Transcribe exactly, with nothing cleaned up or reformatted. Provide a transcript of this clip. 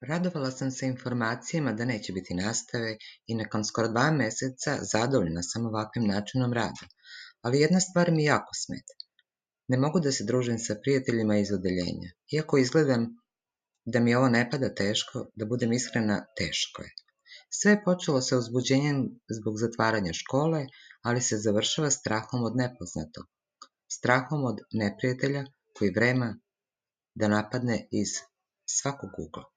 Radovala sam se informacijama da neće biti nastave i nakon skoro dva meseca zadovoljna sam ovakvim načinom rada, ali jedna stvar mi jako smeta. Ne mogu da se družim sa prijateljima iz odeljenja. Iako izgledam da mi ovo ne pada teško, da budem iskrena, teško je. Sve je počelo sa uzbuđenjem zbog zatvaranja škole, ali se završava strahom od nepoznatog, strahom od neprijatelja koji vrema da napadne iz svakog ugla.